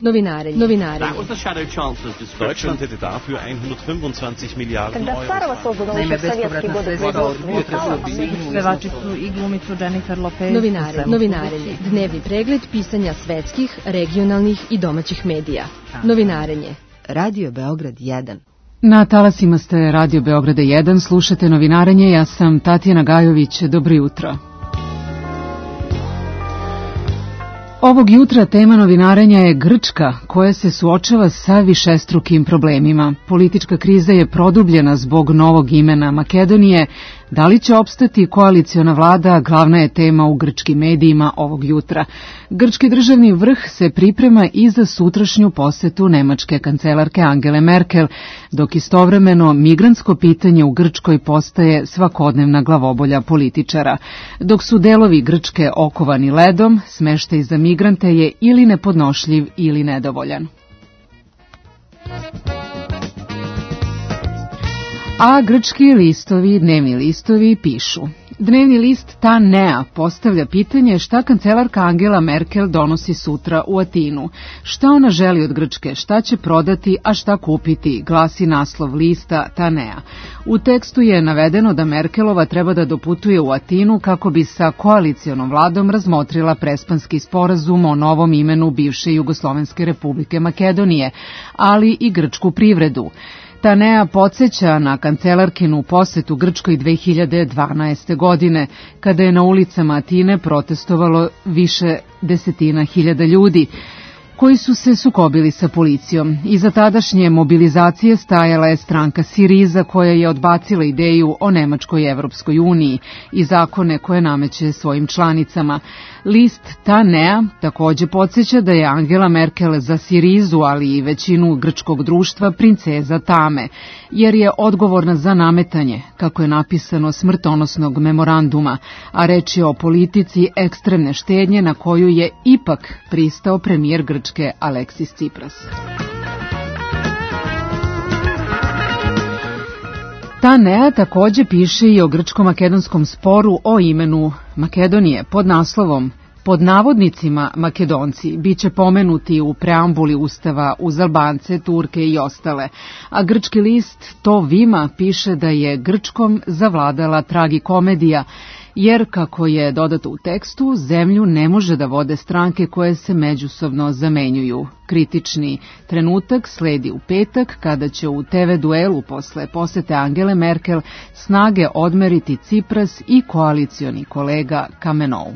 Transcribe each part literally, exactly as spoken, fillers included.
Novinarenje. Novinarenje. Deutschland hätte dafür hundertfünfundzwanzig Milliarden Euro. Naime, bespovratna sredstva od pevačicu i glumicu Jennifer Lopez. Novinarenje. Novinarenje. Dnevni pregled pisanja svetskih, regionalnih i domaćih medija. Novinarenje. Radio Beograd jedan. Na talasima ste Radio Beograda jedan, slušate Novinarenje, ja sam Tatjana Gajović, dobro jutro. Ovog jutra tema novinarenja je Grčka, koja se suočava sa višestrukim problemima. Politička kriza je produbljena zbog novog imena Makedonije. Da li će opstati koaliciona vlada, glavna je tema u grčkim medijima ovog jutra. Grčki državni vrh se priprema i za sutrašnju posetu nemačke kancelarke Angele Merkel, dok istovremeno migrantsko pitanje u Grčkoj postaje svakodnevna glavobolja političara. Dok su delovi Grčke okovani ledom, smeštaj za migrante je ili nepodnošljiv ili nedovoljan. A grčki listovi, dnevni listovi, pišu. Dnevni list Ta Nea postavlja pitanje šta kancelarka Angela Merkel donosi sutra u Atinu. Šta ona želi od Grčke, šta će prodati, a šta kupiti, glasi naslov lista Ta Nea. U tekstu je navedeno da Merkelova treba da doputuje u Atinu kako bi sa koalicijonom vladom razmotrila prespanski sporazum o novom imenu bivše Jugoslovenske republike Makedonije, ali i grčku privredu. Ta Nea podsjeća na kancelarkinu posetu Grčkoj dve hiljade dvanaeste. godine, kada je na ulicama Atine protestovalo više desetina hiljada ljudi, koji su se sukobili sa policijom. Iza tadašnje mobilizacije stajala je stranka Siriza, koja je odbacila ideju o Nemačkoj Evropskoj uniji i zakone koje nameće svojim članicama. List Ta Nea takođe podsjeća da je Angela Merkel za Sirizu, ali i većinu grčkog društva, princeza tame, jer je odgovorna za nametanje, kako je napisano, smrtonosnog memoranduma, a reč je o politici ekstremne štednje na koju je ipak pristao premijer Grčke Aleksis Tsipras. Ta Nea takođe piše i o grčko-makedonskom sporu o imenu Makedonije pod naslovom Pod navodnicima Makedonci biće pomenuti u preambuli Ustava uz Albance, Turke i ostale, a grčki list To Vima piše da je Grčkom zavladala tragikomedija, jer, kako je dodato u tekstu, zemlju ne može da vode stranke koje se međusobno zamenjuju. Kritični trenutak sledi u petak, kada će u te ve duelu posle posete Angele Merkel snage odmeriti Tsipras i koalicioni kolega Kamenou.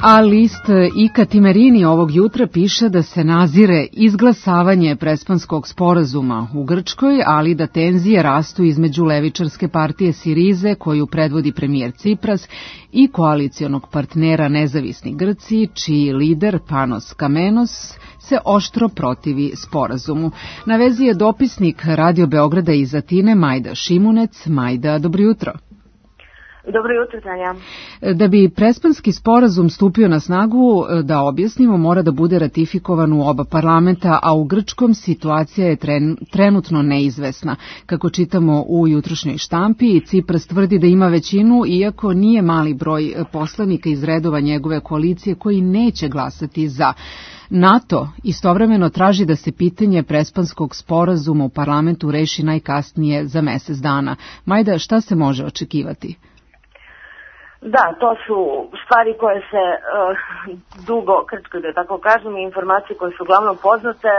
A list Ika Timerini ovog jutra piše da se nazire izglasavanje prespanskog sporazuma u Grčkoj, ali da tenzije rastu između levičarske partije Sirize, koju predvodi premijer Tsipras, i koalicijonog partnera Nezavisni Grci, čiji lider Panos Kamenos se oštro protivi sporazumu. Na vezi je dopisnik Radio Beograda iz Atine Majda Šimunec. Majda, dobro jutro. Dobro jutro, Tanja. Da bi prespanski sporazum stupio na snagu, da objasnimo, mora da bude ratifikovan u oba parlamenta, a u grčkom situacija je tren, trenutno neizvesna. Kako čitamo u jutrošnjoj štampi, Tsipras tvrdi da ima većinu, iako nije mali broj poslanika iz redova njegove koalicije koji neće glasati za. NATO istovremeno traži da se pitanje prespanskog sporazuma u parlamentu reši najkasnije za mesec dana. Majda, šta se može očekivati? Da, to su stvari koje se uh, dugo krčkaju, da tako kažem, i informacije koje su uglavnom poznate,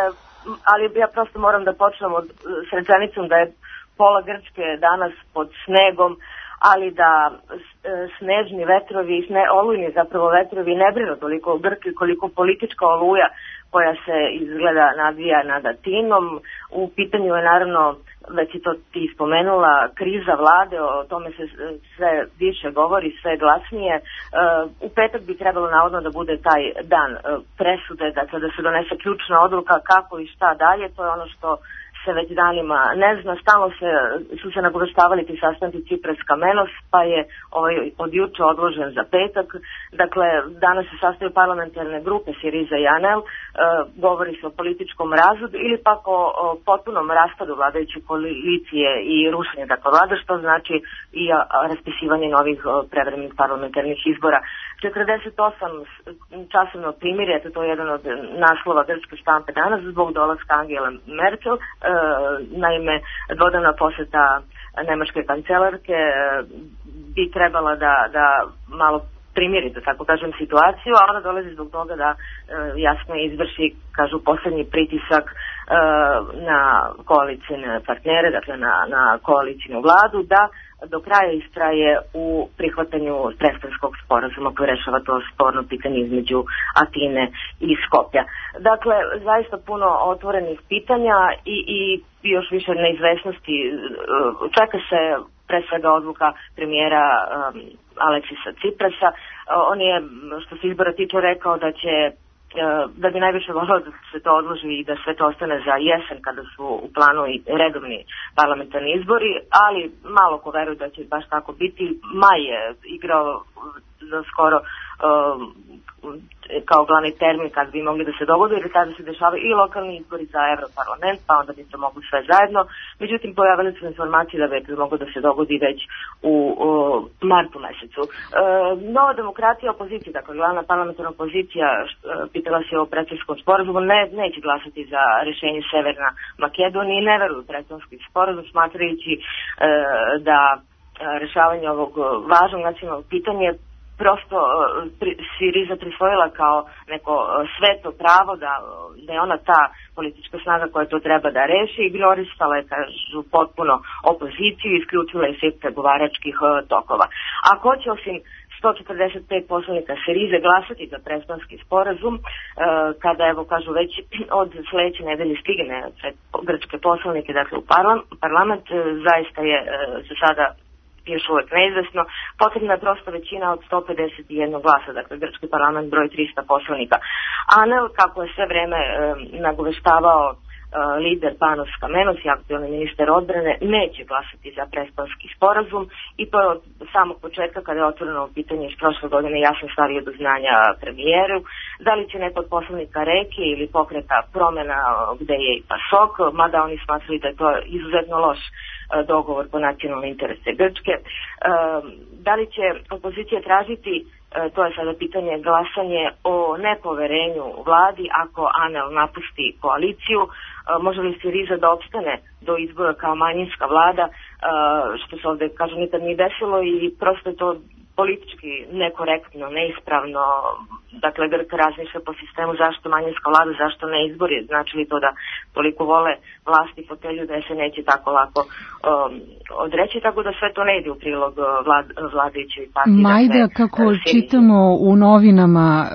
ali ja prosto moram da počnem od, s rečenicom da je pola Grčke danas pod snegom, ali da snežni vetrovi, sne, olujni zapravo vetrovi ne brinu toliko o Grčkoj koliko politička oluja koja se izgleda nadvija nad Atinom. U pitanju je naravno, već i to ti spomenula, kriza vlade, o tome se sve više govori, sve glasnije. U petak bi trebalo navodno da bude taj dan presude, dakle da se donese ključna odluka kako i šta dalje, to je ono što se već danima ne zna, stalno se, su se nagoveštavali ti sastanci Tsipras Kamenos, pa je ovaj od juče odložen za petak. Dakle, danas se sastaju parlamentarne grupe Siriza i Anel, e, govori se o političkom razvodu ili pak o, o potpunom raspadu vladajuće koalicije i rušenje dakle vlada, što znači i a, a, raspisivanje novih a, prevremenih parlamentarnih izbora. četrdeset osam časovno primirje, to je jedan od naslova grčke štampe danas, zbog dolaska Angele Merkel. Naime, dvodnevna poseta nemačke kancelarke bi trebala da, da malo primjeri, da tako kažem, situaciju, a ona dolazi zbog toga da jasno izvrši, kažu, poslednji pritisak na koalicijne partnere, dakle na, na koalicijnu vladu, da do kraja istraje u prihvatanju Prespanskog sporazuma koji rešava to sporno pitanje između Atine i Skoplja. Dakle, zaista puno otvorenih pitanja i, i još više neizvesnosti. Čeka se pre svega odluka premijera um, Aleksisa Ciprasa. On je, što se izbora tiče, rekao da će da bi najviše volao da se to odloži i da sve to ostane za jesen kada su u planu i redovni parlamentarni izbori, ali malo ko veruje da će baš tako biti. Maj je igrao za skoro um, kao glavni termin kad bi mogli da se dogodi, jer tada se dešavaju i lokalni izbori za Evroparlament, pa onda bi se mogli sve zajedno. Međutim, pojavili su informacije da bi moglo da se dogodi već u, u martu mesecu. E, Nova demokratija opozicija, dakle glavna parlamentarna opozicija, pitala se o Prespanskom sporazumu, ne, neće glasati za rešenje Severna Makedonija i ne veruju u Prespanski sporazum, smatrajući e, da rešavanje ovog važnog nacionalnog pitanja prosto Siriza prisvojila kao neko sveto pravo, da, da je ona ta politička snaga koja to treba da reši, ignorisala je, kažu, potpuno opoziciju i isključila je svih pregovaračkih tokova. A ko će osim sto četrdeset pet poslanika Sirize glasati za Prespanski sporazum, kada, evo, kažu, već od sledeće nedelje stigne pred grčke poslanike, dakle u parlament, zaista je se sada još uvek neizvesno. Potrebna je prosto većina od sto pedeset jedan glasa, dakle grčki parlament broj trista poslanika. A ne, kako je sve vreme e, nagoveštavao e, lider Panos Kamenos i aktuelni ministar odbrane, neće glasati za Prespanski sporazum, i to je od samog početka, kada je otvoreno pitanje iz prošle godine, jasno stavio do znanja premijeru. Da li će neko od poslanika Reke ili pokreta Promena, gde je i PASOK, mada oni smatrali da je to izuzetno loš dogovor po nacionalne interese Grčke. Da li će opozicija tražiti, to je sada pitanje, glasanje o nepoverenju vladi ako Anel napusti koaliciju? Može li Siriza da opstane do izbora kao manjinska vlada, što se ovde, kažem, nikad nije desilo, i prosto je to politički nekorektno, neispravno. Dakle, Grka razmišlja po sistemu zašto manjinska vlada, zašto ne izbori. Znači li to da toliko vole vlasti i fotelju da se neće tako lako um, odreći, tako da sve to ne ide u prilog vlad, vladajućoj partiji. Majda, dakle, kako uh, čitamo u novinama uh,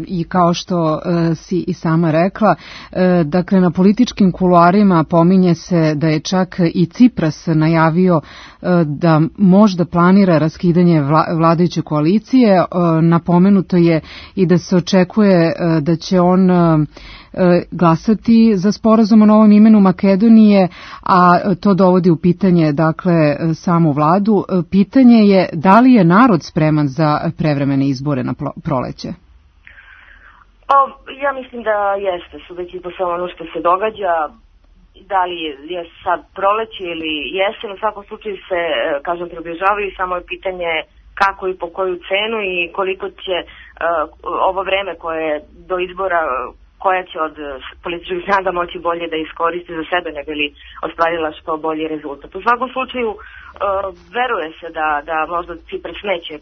i kao što uh, si i sama rekla, uh, dakle, na političkim kuloarima pominje se da je čak i Cipras najavio uh, da možda planira raskidanje vla, vladajuće koalicije. Uh, napomenuto je i da se očekuje da će on glasati za sporazum o novom imenu Makedonije, a to dovodi u pitanje, dakle, samu vladu. Pitanje je da li je narod spreman za prevremene izbore na proleće? O, ja mislim da jeste, sudeći po samo ono što se događa. Da li je, je sad proleće ili jesen, u svakom slučaju se, kažem, približavaju, samo je pitanje kako i po koju cenu i koliko će uh, ovo vreme koje je do izbora, koja će od političkih snaga moći bolje da iskoristi za sebe, ne bi li ostvarila što bolji rezultat. U svakom slučaju, uh, veruje se da, da možda Cipras neće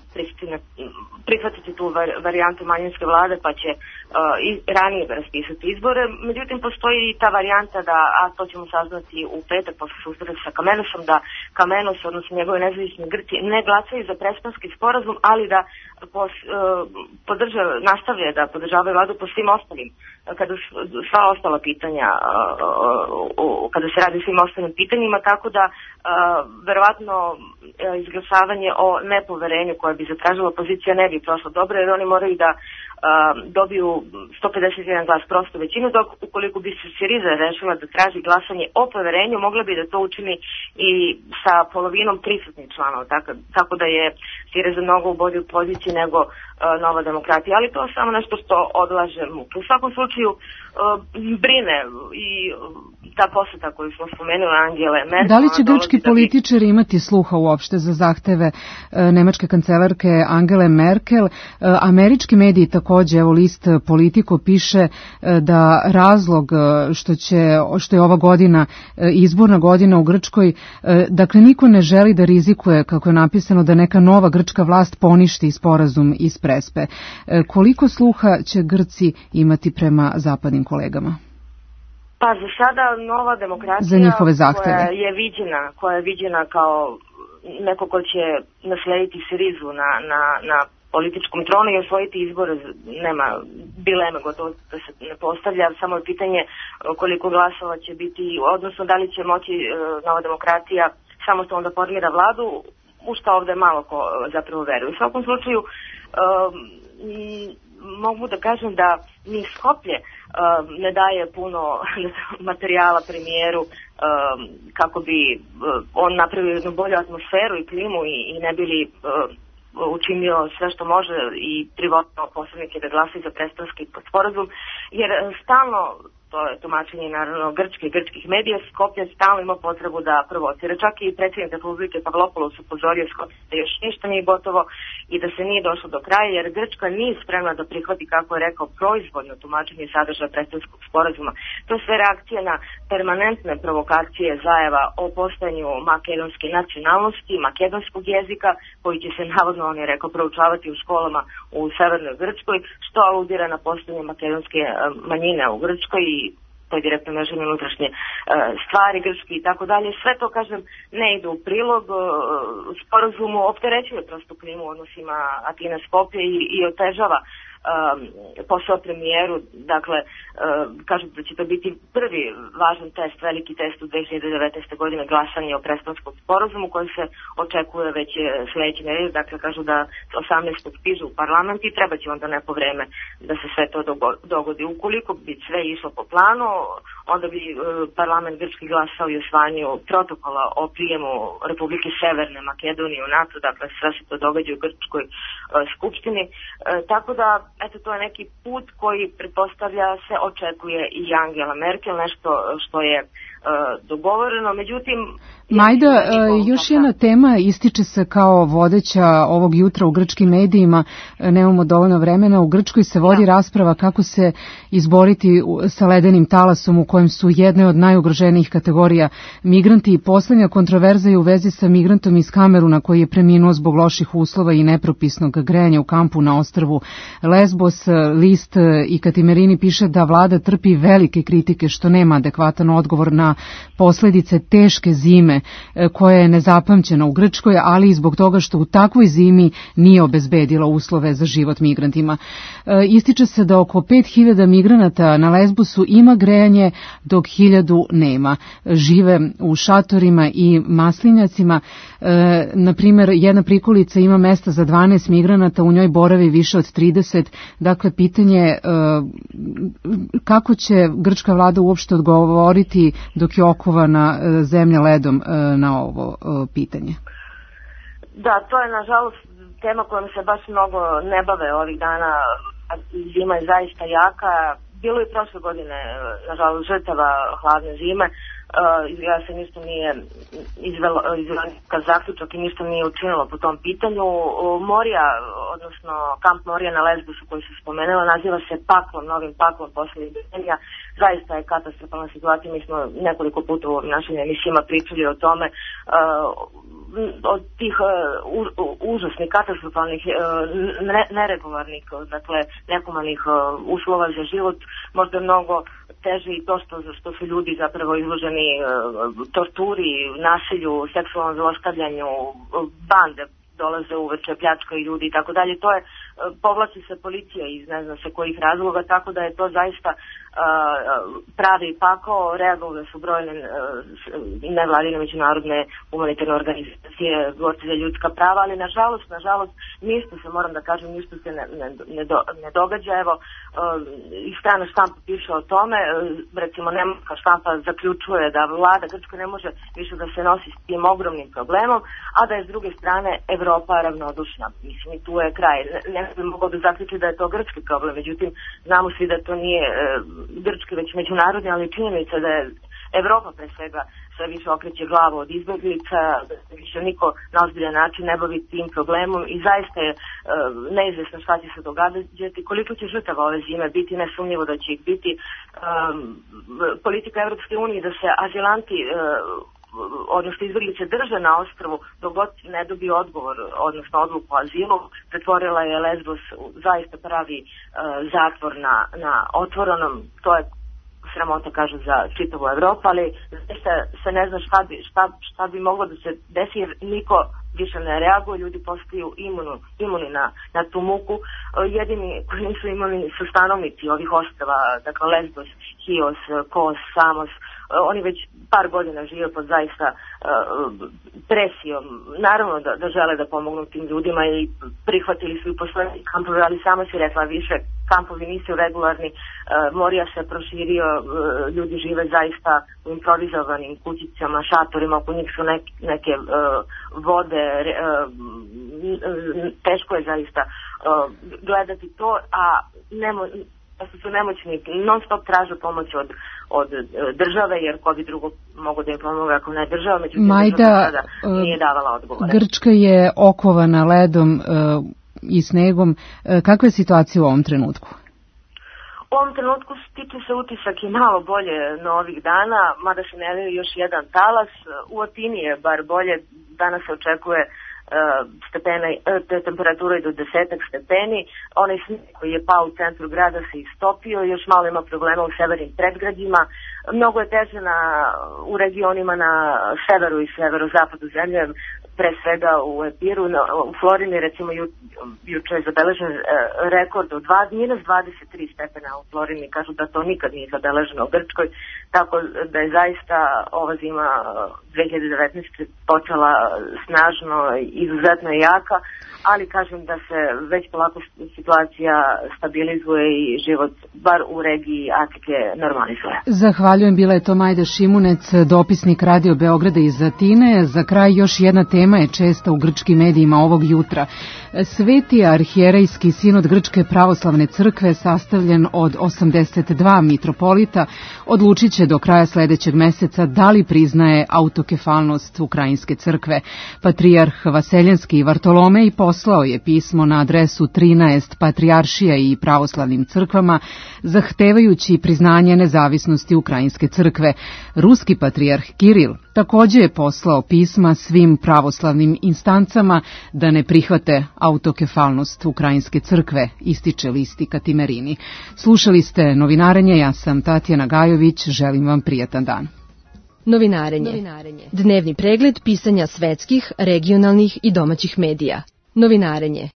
prihvatiti tu var, varijantu manjinske vlade, pa će uh, i ranije raspisati izbore. Međutim, postoji i ta varijanta da, a to ćemo saznati u petak posle susreta sa Kamenosom, da Kamenos, odnosno njegove nezavisni Grci, ne glasaju za Prespanski sporazum, ali da pos, uh, podrža, nastavlja da podržavaju vladu po svim ostalim, kada sva ostala pitanja, kada se radi o svim ostalim pitanjima, tako da verovatno izglasavanje o nepoverenju koje bi zatražila opozicija ne bi prošlo dobro, jer oni moraju da dobiju sto pedeset jedan glas prostu većinu, dok ukoliko bi se Siriza rešila da traži glasanje o poverenju, mogla bi da to učini i sa polovinom prisutnih članova, tako, tako da je Siriza mnogo u bolju poziciji nego uh, Nova demokratija, ali to je samo nešto što odlaže muke. U svakom slučaju uh, brine i uh, ta poseta koju smo spomenuli Angele Merkel... Da li će grčki političari imati sluha uopšte za zahteve nemačke kancelarke Angele Merkel? Američki mediji takođe, evo list Politico piše da razlog što, će, što je ova godina izborna godina u Grčkoj, dakle niko ne želi da rizikuje, kako je napisano, da neka nova grčka vlast poništi sporazum iz Prespe. Koliko sluha će Grci imati prema zapadnim kolegama? Pa za sada nova demokratija za njihove zahteve. koja je viđena, koja je viđena kao neko ko će naslediti Sirizu na, na, na političkom tronu i osvojiti izbore, nema dileme, gotovo da se ne postavlja, samo je pitanje koliko glasova će biti, odnosno da li će moći nova demokratija samostalno da formira vladu, u što ovde malo ko zapravo veruje. U svakom slučaju um, mogu da kažem da ni Skoplje um, ne daje puno materijala premijeru um, kako bi um, on napravio jednu bolju atmosferu i klimu i, i ne bili um, učinio sve što može i privotno posrednike da glasaju za Prespanski sporazum, jer stalno, to je tumačenje naravno grčke i grčkih medija, Skoplje stalno ima potrebu da provocira. Čak i predsjednik Republike Pavlopoulos upozorio Skoplje da još ništa nije gotovo i da se nije došlo do kraja, jer Grčka nije spremna da prihvati, kako je rekao, proizvoljno tumačenje sadržaja Prespanskog sporazuma. To je sve reakcija na permanentne provokacije Zajeva o postojanju makedonske nacionalnosti, makedonskog jezika, koji će se navodno, on je rekao, proučavati u školama u severnoj Grčkoj, što aludira na postojanje makedonske manjine u Grčkoj i to je direktno mežanje unutrašnje e, stvari grčki i tako dalje. Sve to, kažem, ne ide u prilog e, sporazumu, opterećuje prosto klimu u odnosima Atina-Skoplje i, i otežava Um, posao premijeru, dakle um, kažu da će to biti prvi važan test, veliki test u dve hiljade devetnaeste. godine glasanje o Prespanskom sporazumu koji se očekuje već sledeće nedelje, dakle kažu da osamnaestog stiže u parlament i treba će onda neko vreme da se sve to dogodi. Ukoliko bi sve išlo po planu, onda bi uh, parlament grčki glasao i usvajanju protokola o prijemu Republike Severne Makedonije u NATO, dakle sve se to događa u grčkoj uh, skupštini, uh, tako da eto, to je neki put koji pretpostavlja se očekuje i Angela Merkel, nešto što je uh, dogovoreno, međutim... Majda, još jedna tema ističe se kao vodeća ovog jutra u grčkim medijima, nemamo dovoljno vremena, u Grčkoj se vodi da. rasprava kako se izboriti sa ledenim talasom u kojem su jedne od najugroženijih kategorija migranti i poslednja kontroverza je u vezi sa migrantom iz Kameruna koji je preminuo zbog loših uslova i nepropisnog grejanja u kampu na ostrvu Lesbos. List i Katimerini piše da vlada trpi velike kritike što nema adekvatan odgovor na posledice teške zime koja je nezapamćena u Grčkoj, ali i zbog toga što u takvoj zimi nije obezbedila uslove za život migrantima. Ističe se da oko pet hiljada migranata na Lesbosu ima grejanje, dok hiljadu nema. Žive u šatorima i maslinjacima. Na primjer, jedna prikolica ima mesta za dvanaest migranata, u njoj boravi više od trideset. Dakle, pitanje je kako će grčka vlada uopšte odgovoriti dok je okovana zemlja ledom na ovo pitanje? Da, to je nažalost tema kojom se baš mnogo ne bave ovih dana. Zima je zaista jaka. Bilo je prošle godine, nažalost, žrtava hladne zime. Uh, izgleda se ništa nije izvelo, izvelo kao zaključak i ništa nije učinilo po tom pitanju. Morija, odnosno kamp Morija na Lesbosu koji se spomenula, naziva se paklom, novim paklom posle izbrenja. Zaista je katastrofalna situacija, mi smo nekoliko puta u našim emisijama pričali o tome. Uh, od tih uh, u, užasnih, katastrofalnih, uh, ne, neregularnih, dakle nehumanih uh, uslova za život, možda mnogo teže i to što, što su ljudi zapravo izloženi uh, torturi, nasilju, seksualnom zlostavljanju, bande dolaze uveče, pljačkaju ljudi i tako dalje. To je, povlači se policija iz ne znam se kojih razloga, tako da je to zaista uh, pravi pakao. Reagovale su brojne uh, nevladine međunarodne humanitarne organizacije, borci za ljudska prava, ali nažalost, nažalost, ništa se, moram da kažem, ništa se ne, ne, ne, do, ne događa. Evo, uh, i strana štampa piše o tome, uh, recimo nemačka štampa zaključuje da vlada Grčka ne može više da se nosi s tim ogromnim problemom, a da je s druge strane Evropa ravnodušna. Mislim, i tu je kraj. Ne bi mogao da zaključi da je to grčki problem, međutim, znamo svi da to nije e, grčki, već međunarodni, ali činjenica da je Evropa pre svega sve više okreće glavu od izbeglica, da se više niko na ozbiljan način ne bavi tim problemom i zaista je uh, neizvesno šta će se događati, koliko će žrtava ove zime biti, nesumnjivo da će ih biti. Um, politika Evropske unije da se azilanti uh, odnosno izbeglice drže na ostrvu dok god ne dobije odgovor, odnosno odluku o azilu, pretvorila je Lesbos u zaista pravi uh, zatvor na, na otvorenom. To je sramota, kažu, za čitavu Evropu, ali zaista se ne zna šta bi, šta, šta bi moglo da se desi, jer niko više ne reaguje, ljudi postaju imunu, imuni na, na tu muku. Jedini koji nisu imuni su stanovnici ovih ostrava, dakle Lesbos, Chios, Kos, Samos. Oni već par godina žive pod zaista uh, presijom. Naravno da, da žele da pomognu tim ljudima i prihvatili su i poslednji kampovi, ali sama si rekla više, kampovi nisu regularni, uh, Morija se proširio, uh, ljudi žive zaista u improvizovanim kućicama, šatorima, oko njih su nek, neke uh, vode, uh, teško je zaista uh, gledati to, a nemo, da su nemoćni, non stop traže pomoć od, od države, jer ko bi drugo mogo da im pomoga ako ne država, međutim Majda, država sada nije davala odgovore. Grčka je okovana ledom uh, i snegom. Uh, kakva je situacija u ovom trenutku? U ovom trenutku stiče se utisak i malo bolje na ovih dana, mada se najavljuje još jedan talas. U Atini je bar bolje, danas se očekuje stepene, te temperature i do desetak stepeni. Onaj snijeg koji je pao u centru grada se istopio, još malo ima problema u severnim predgrađima. Mnogo je teže na, u regionima na severu i severozapadu zemlje, pre svega u Epiru, u Florini recimo ju, juče je zabeležen e, rekord od minus dvadeset tri stepena u Florini, kažu da to nikad nije zabeleženo u Grčkoj, tako da je zaista ova zima dve hiljade devetnaeste. počela snažno i izuzetno jaka, ali kažem da se već polako situacija stabilizuje i život bar u regiji Atike normalizuje. Zahvaljujem, bila je to Majda Šimunec, dopisnik Radio Beograda iz Atine. Za kraj još jedna tema je česta u grčkim medijima ovog jutra. Sveti arhijerejski sinod Grčke pravoslavne crkve, sastavljen od osamdeset dva mitropolita, odlučit će do kraja sledećeg meseca da li priznaje autokefalnost Ukrajinske crkve. Patrijarh Vaseljenski Vartolomej poslao je pismo na adresu trinaest patrijaršija i pravoslavnim crkvama, zahtevajući priznanje nezavisnosti Ukrajinske crkve. Ruski patrijarh Kiril takođe je poslao pisma svim pravoslavnim instancama da ne prihvate autokefalnost Ukrajinske crkve, ističe listi Katimerini. Slušali ste Novinarenje, ja sam Tatjana Gajović, želim vam prijatan dan. Novinarenje. Novinarenje. Dnevni pregled pisanja svetskih, regionalnih i domaćih medija. Novinarenje.